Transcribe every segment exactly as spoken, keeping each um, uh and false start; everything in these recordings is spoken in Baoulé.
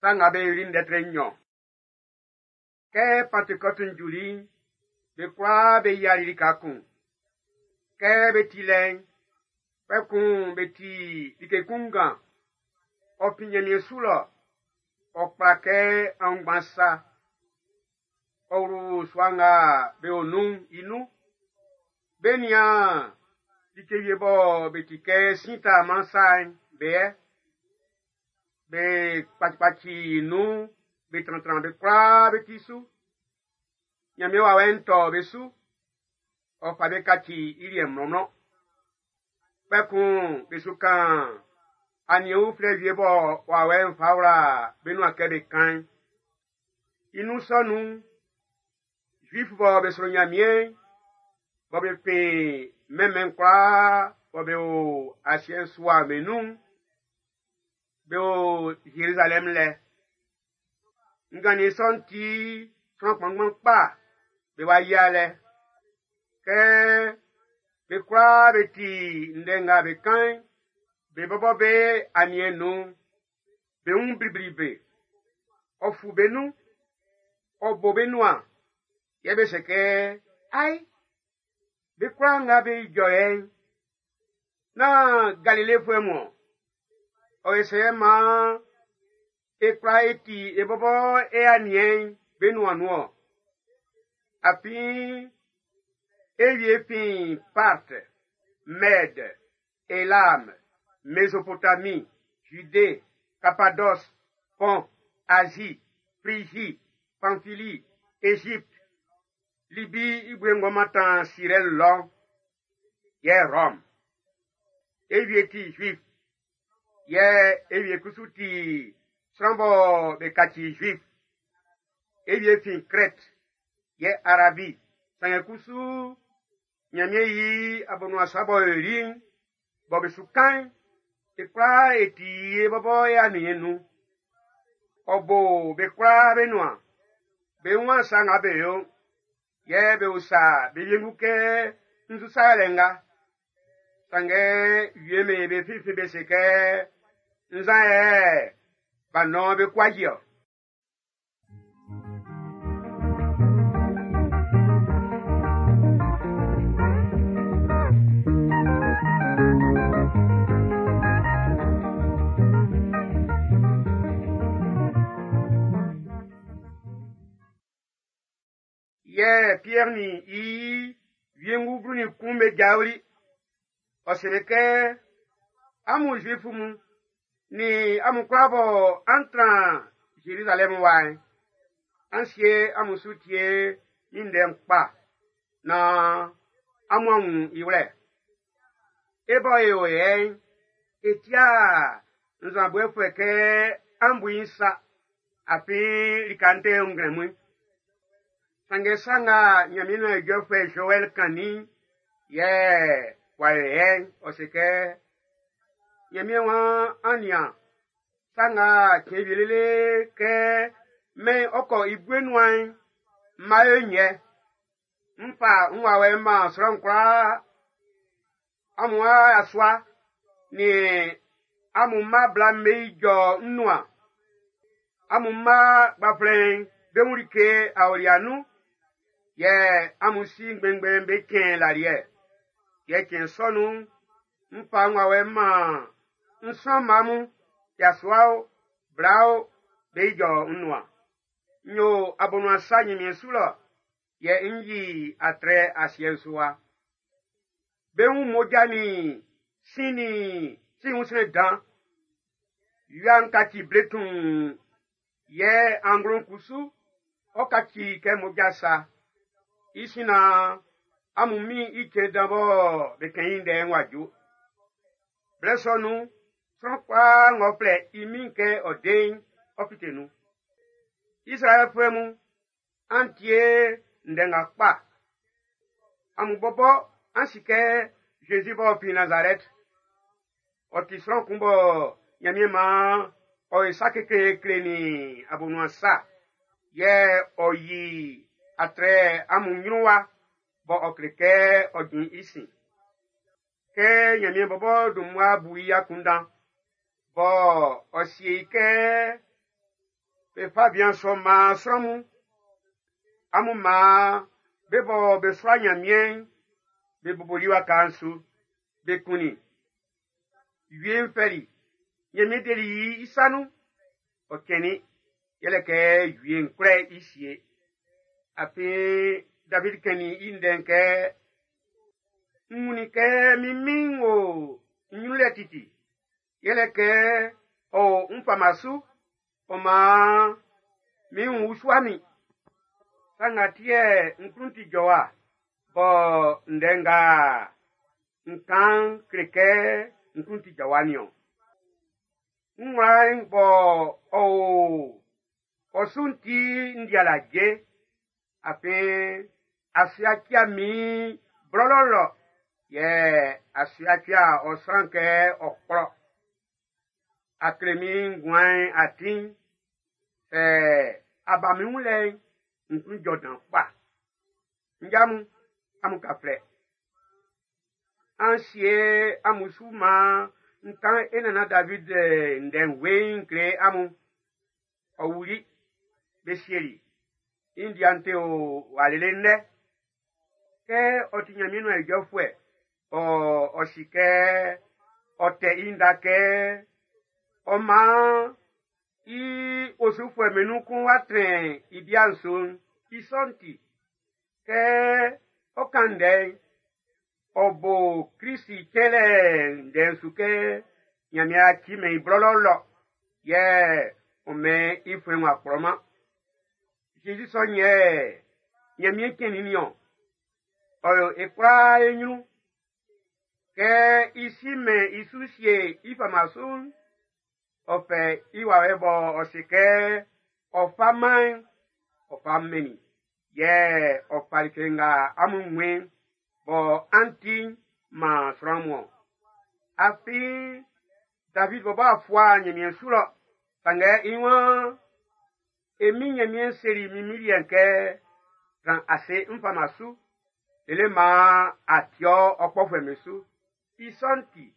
Sa nga be yoli ndɛ tre nnyɔn. Kɛ Pantekɔtu'n juli'n, be kwlaa be yiali lika kun. Kɛ be ti lɛ'n, kpɛkun be ti like kun ngan. Ɔ fin Ɲanmiɛn su lɔ, ɔ kpla kɛ aunngban sa. Ɔ wlu sua nga be o nun'n i nun. Be nian like wie bɔ be ti kɛ sin taaman sa'n be yɛ. Be kpacikpaci nun be trantran be kwlaa be ti su. Ɲanmiɛn wawɛ'n tɔ be su. Ɔ fa be kaci i liɛ mlɔnmlɔn. Kpɛkun be su kan aniɛn uflɛ wie bɔ wawɛ'n fa wla be nuan kɛ be kan'n. I nun sɔ nun'n, Zuif bɔ be sro Ɲanmiɛn'n, bɔ be fin mɛnmɛn kwlaa bɔ be o asiɛ'n su wa be nun'n, be o Zerizalɛm lɛ. Nganniɛn sɔ'n ti sran kpanngban kpa be wa yia lɛ. Kɛ be kwlaa be ti ndɛ nga be kan'n, be bɔbɔ be aniɛn nun'n, be wun blibli be. Ɔ fu be nun, ɔ bo be nuan, yɛ be se kɛ, ai, be kwlaa nga be ijɔ yɛ'n, nán Galilefuɛ mun ɔ. Ɔ yɛ sɛ maan e kwlaa e ti e bɔbɔ e aniɛn'n be nuan nun ɔ. Afin e wie fin Parthe, Mède, Elam, Mésopotamie, Judée, Cappadoce, Pont, Asie, Phrygie, Pamphylie, Égypte, Libye i bue ng'ɔ mantan Sirɛn lɔ'n, yɛ Rome. E wie ti Juif, yɛ e wie kusu ti sran bɔ be kaci Juif. E wie fin Crète, yɛ Arabie. Sanngɛ kusu Ɲanmiɛn yi abonuan sa b'ɔ yoli'n, bɔ be su kan'n, e kwlaa e ti e bɔbɔ e aniɛn'n nun. Ɔ bo be kwlaa be nuan. Be wun sa nga be yo, yɛ be usa be wiengu kɛ nzu sa yɛlɛ nga. Sanngɛ wie'm be finfin be se kɛ nzan yɛ b'a nɔn be kwaji ɔ. Yɛ Pierre nin i wiengu blu nin kun be jaoli. Ɔ seli kɛ amun Zuifu mun nin amun kwlaa bɔ an tran Zerizalɛm wa'n, an sie amun su tie min ndɛ'n kpa naan amun a wun i wlɛ. E bɔ e o yɛ'n, e tia nzanboɛfuɛ kɛ an bu i'n sa, afin lika'n tɛ nglɛmun. Sanngɛ sa nga Ɲanmiɛn nuan ijɔfuɛ Joɛl kannin'n, yɛ w'a yo yɛ'n, ɔ se kɛ, Ɲanmiɛn waan an nian, sa nga cɛn wie lele kɛ mɛn'n ɔ kɔ i bue nuan'n, ń má yó nyɛ. N fa n wawɛ'n man sran kwlaa. Amun a yasua nin amun mma bla'm be ijɔ n nuan. Amun mma gbanflɛn'n be wun like aolia nun. Yɛ amun si ngbɛnngbɛn'n be cɛn laliɛ. Yɛ cɛn sɔ nun'n, n fa n wawɛ'n man n sran mma mun, yasua o, bla o, be ijɔ n nuan. N yo abonuan sa Ɲanmiɛn su lɔ, yɛ n yi atrɛ asiɛ'n su wa. Be wun mmoja nin sin nin sin wunsrɛn dan. Wia'n kaci ble tuun, yɛ anglo'n kusu, ɔ kaci kɛ mmoja sa. I sin na amun min i cɛn dan bɔ be kɛn i ndɛ'n w'a ju. Blɛ sɔ nun'n, sran kwlaa ng'ɔ flɛ i min kɛ ɔ de'n, ɔ fite nun. Izraɛlfuɛ mun, an tie ndɛ nga kpa. Amun bɔbɔ an si kɛ Zezi b'ɔ fin Nazarɛt, ɔ ti sran kun bɔ Ɲanmiɛn maan ɔ ye sa kekleekle nin abonuan sa. Yɛ ɔ yi atrɛ amun ɲrun wa bɔ ɔ kle kɛ ɔ jin i sin. Kɛ Ɲanmiɛn bɔbɔ dun mmua bu i akunndan, bɔ ɔ sie i kɛ Be fa bian sɔ maan sran mun. Amun maan be bɔ be sua Ɲanmiɛn'n, be boboli waka'n su, be kunnin. Wie'n fɛli, Ɲanmiɛn deli i sa nun. Ɔ cɛnnin, yɛlɛ kɛ wie'n kwlɛ i sie. Afin David kɛnnin i ndɛ'n kɛ, n wunnin kɛ min min'n wo n ɲrun lɛ titi. Yɛlɛ kɛ ɔ o n fama su, ɔ maan min wun usua min. Sa nga ti yɛ n klun ti jɔwa, bɔ ndɛ nga n kan kle kɛ n klun ti jɔwa nin-ɔn. N wla'n bɔ ɔ o ɔ su'n ti n di alaje, afin a suatia min blɔlɔ yɛ a suatia ɔ sran kɛ ɔ kplɔ. A kle min nguan'n atin, sɛ a ba min wun lɛ'n, n klun jɔ dan kpa. Nja mun, amun ka flɛ. An sie amun su maan n kan e nana David ndɛ'n weiin kle amun. Ɔ wuli, be sieli. I ndia'n te o wa lele nnɛ. Kɛ ɔ ti Ɲanmiɛn nuan ijɔfuɛ, ɔ ɔ si kɛ ɔ tɛ i nda kɛ ɔ maan i osufuɛ be nun kun wa trɛn i bia'n su'n, i sɔ'n ti, kɛ ɔ kan ndɛ'n, ɔ bo Krisi cɛnlɛ ndɛ'n su kɛ Ɲanmiɛn a cimɛn i blɔlɔ yɛ ɔ mɛn i fuɛn w'a kplɔman. Zezi sɔ'n yɛ Ɲanmiɛn cɛnnin nin-ɔn. Ɔ yo e kwlaa e ɲrun. Kɛ i si mɛn i su sie i fama su'n, ɔ fɛ i wawɛ bɔ ɔ se kɛ ɔ fa man'n, ɔ fa mɛnnin. Yɛ ɔ fa like nga amun wun bɔ an ti'n man sran mun. Afin David bɔbɔ a fua Ɲanmiɛn su lɔ, sanngɛ i waan, e min Ɲanmiɛn seli min min liɛ'n kɛ, tran ase n fama su, lele maan a tiɔ ɔ kpɔfuɛ'm be su. I sɔ'n ti,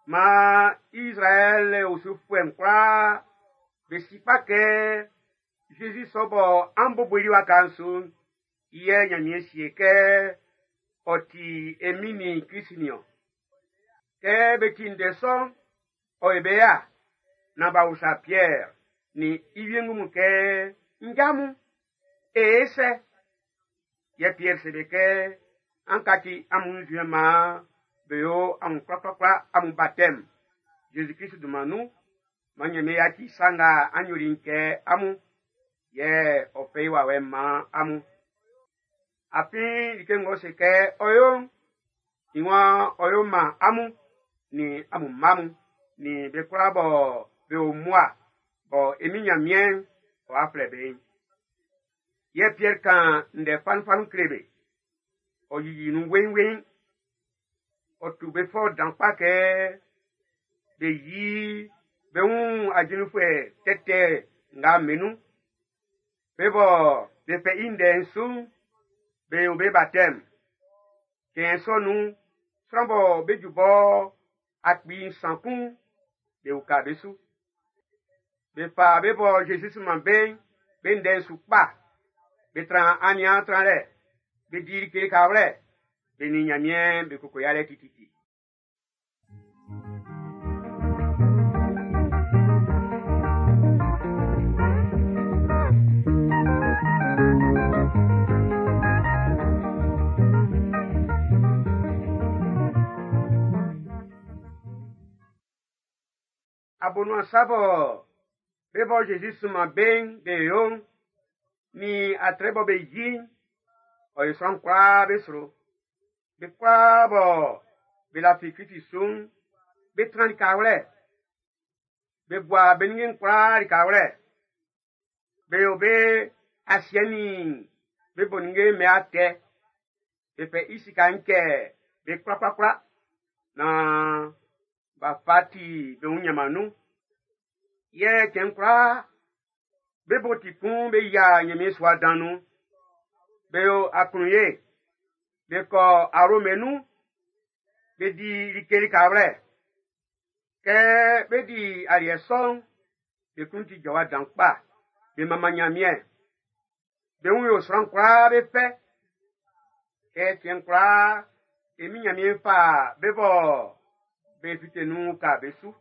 maan Israɛl osufuɛ'n kwlaa be si kpa kɛ Zezi sɔ bɔ an boboli waka'n su'n, i yɛ Ɲanmiɛn sie kɛ ɔ ti e min nin Krist nin-ɔn. Kɛ be ti ndɛ sɔ'n, ɔ ye be ya, nan b'a usa Pierre nin i wiengu mun kɛ, nja mun, e e sɛ? Yɛ Pierre se be kɛ, an kaci amun nzuɛn maan be yo amun kwlakwlakwla amun baptême Jésus Christ dunman nun, man Ɲanmiɛn yaci sa nga an yoli'n kɛ amun, yɛ ɔ fɛ i wawɛ'n man amun. Afin like ng'ɔ se kɛ ɔ yo'n, i waan ɔ yo man amun nin amun mma mun, nin be kwlaa bɔ be o mmua, bɔ e min Ɲanmiɛn'n ɔ'a flɛ be'n. Yɛ Pierre kan ndɛ fanunfanun kle be. Ɔ yiyi nun weiinweiin. Ɔ tu be fɔ dan kpa kɛ be yi be wun ajinfuɛ tɛtɛ nga be nun. Be bɔ be fɛ i ndɛ'n su'n, be yo be baptême. Cɛn sɔ nun'n, sran bɔ be ju bɔ akpi nsan kun, be uka be su. Be fa be bɔ Jésus sunman be'n, be ndɛ'n su kpa. Be tran aniaan tranlɛ, be di like kawlɛ, be nin Ɲanmiɛn be koko yalɛ tititi. Abonuan sa bɔ be bɔ Jésus sunman be'n be yo'n, ni atrɛ bɔ be yi'n, ɔ yo sran kwlaa be sro. Be kwlaa bɔ be lafi Krist su'n, be tran likawlɛ. Be gua be ninnge'n kwlaa likawlɛ. Be yo be asiɛ nin be bo ninnge'n be atɛ. Be fɛ i sika'n kɛ be kwlakwlakwla naan b'a fa ti be wun ɲanman nun. Yɛ cɛn kwlaa, be bo ti kun be yia Ɲanmiɛn sua dan nun. Be yo aklunye, be kɔ arome nun, be di like likawlɛ. Kɛ be di aliɛ sɔ'n, be klun ti jɔwa dan kpa. Be manman Ɲanmiɛn. Be wun yo sran kwlaa be fɛ. Kɛ cɛn kwlaa, e min Ɲanmiɛn fa be bɔ be fite nun ka be su.